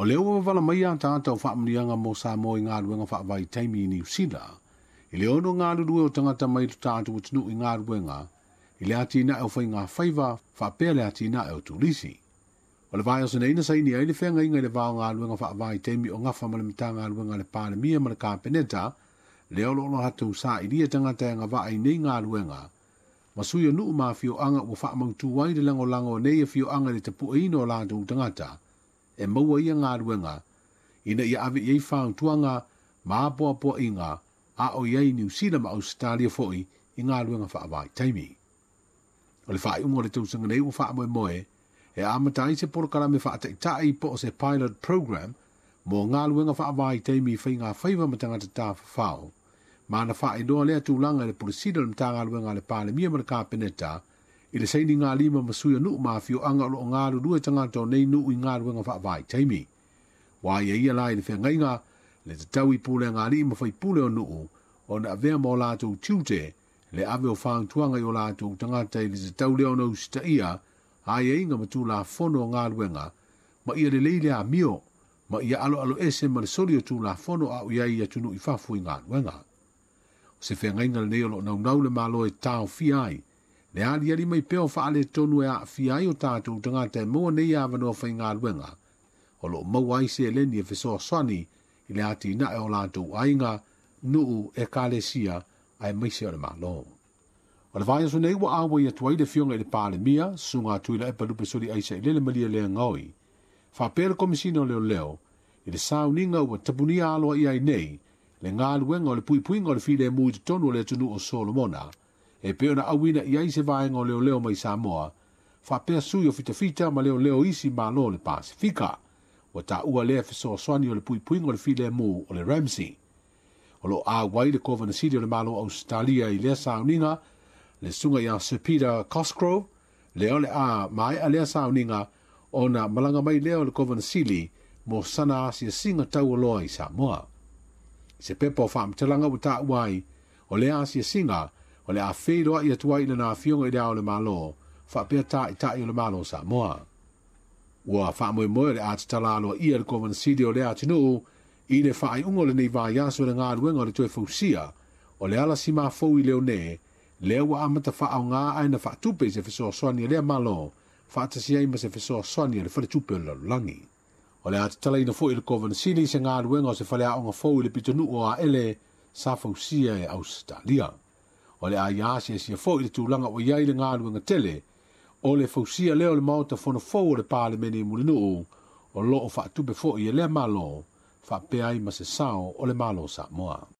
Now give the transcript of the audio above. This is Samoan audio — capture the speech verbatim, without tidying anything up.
O lea ua wavala mai a tātou whaamunianga mo Samoa i ngā luenga whaavaitaimi i Niu Sila. I le ono ngā lulue o tangata mai lo tātou atunuu i ngā luenga, i le atina e o whai ngā whaiva, whaapea le atina e o tūrisi. O le vai o sene saini ai le whenga inga i le vao ngā luenga whaavaitaimi o ngafa ma le mitanga luenga le Palemia ma le Kapeneta, le olo olo hatu sa i lia tangata e ngā vaa i nei ngā luenga. Masui o nuu ma fioanga ua whaamautu ai le langolango nei e fioanga le tapu eino o lātou tangata. E maua ia ngā luenga, ina ia ave i ei whauntuanga, maapoapoa inga, a o iai Niu Sila ma Australia foi i ngā luenga whaavaitaimi. O le whaaiunga o le tausaga nei ua whaamoemoe, e amata ai se polokalame whaataitai po o se pilot program mo ngā luenga whaavaitaimi whai ngā whaiva ma tangata tāwhawhao. Mana whaailoa lea tūlanga i le polisida le mtanga luenga le Palemia ma le Kapeneta, i le saini ngā lima masui o nuu mafioanga o lo o ngā lulue tangata o nei nuu i ngā luenga whaavaitaimi. Wā ia ia la i le whengainga, le te tau i pule ngā lima whai pule o nuu, o na avea mō lātou tiute, le ave o whaantuanga i o lātou tangata i le te tau leo na usita ia, ai e inga matū la fono o ngā luenga, ma ia le leile a mio, ma ia alo alo ese ma le soli o tū la fono a ui ai atunu i fafu i ngā luenga. O se whengainga le nei o lo naunau le malo e tau fia ai, le ali ali mai peo whaale tonu e a fia ai o tātou tangata e mua nei awanoa whai ngā luenga, o lo maua ai se eleni e fesoasoani i le ati na e o lātou ainga, nuu e kalesia ai maise o le malo. O le vai aso nei ua awa i atu ai le fionga i le Palemia, sunga atu i la epa lupe soli aisa i lele malia lea ngoi. Whapea le komisina o leo leo, i le sauninga ua tapunia aloa i ai nei, le ngā luenga o le puipuinga o le file mui te tonu o le atunu o Solomona, e peo na awina i ai se vaenga o leo leo mai Samoa, whapea sui o fitafita ma leo leo isi malo le Pasifika, ua tā ua lea fesoasoani o le puipuinga o le file mu o le Ramsey. O lo a wai le Kovana Sili o le malo Australia i lea sauninga, le sunga ia Sir Peter Cosgrove, le ole a mai a lea sauninga, o na malanga mai lea o le Kovana Sili mo sana asia singa tau aloa i Samoa. Se pepa o whaamtalanga ua tā uai, o lea asia singa, o le a wheiroa i atua i le nā fionga i lea o le malo, whaapea tā i tā i o le malo Samoa. Ua whaamoemoe le ātatala aloa ia le Kovana Sili o lea atunuu, i le whaaiunga o le nei vaiaso le ngā luenga o le toe fausia, o le ala si mafou i leo ne, lea ua amata whaau ngā ai na whaatupe i se fesoasoani a lea malo, whaatasi ai ma se fesoasoani a le whaletupe o le lalolagi. O le ātatala ina foi i le Kovana Sili se ngā luenga o se whaleaonga fou i le pitonuu o a ele sa fausia e Australia. O le ai asia sia foi i le tūlanga o iai le ngā luenga tele, o le fausia leo le maota fono fou o le Palemene i Mulinuu, o loo whaatupe foi e lea malo, whaapea ai ma se sao o le malo Samoa.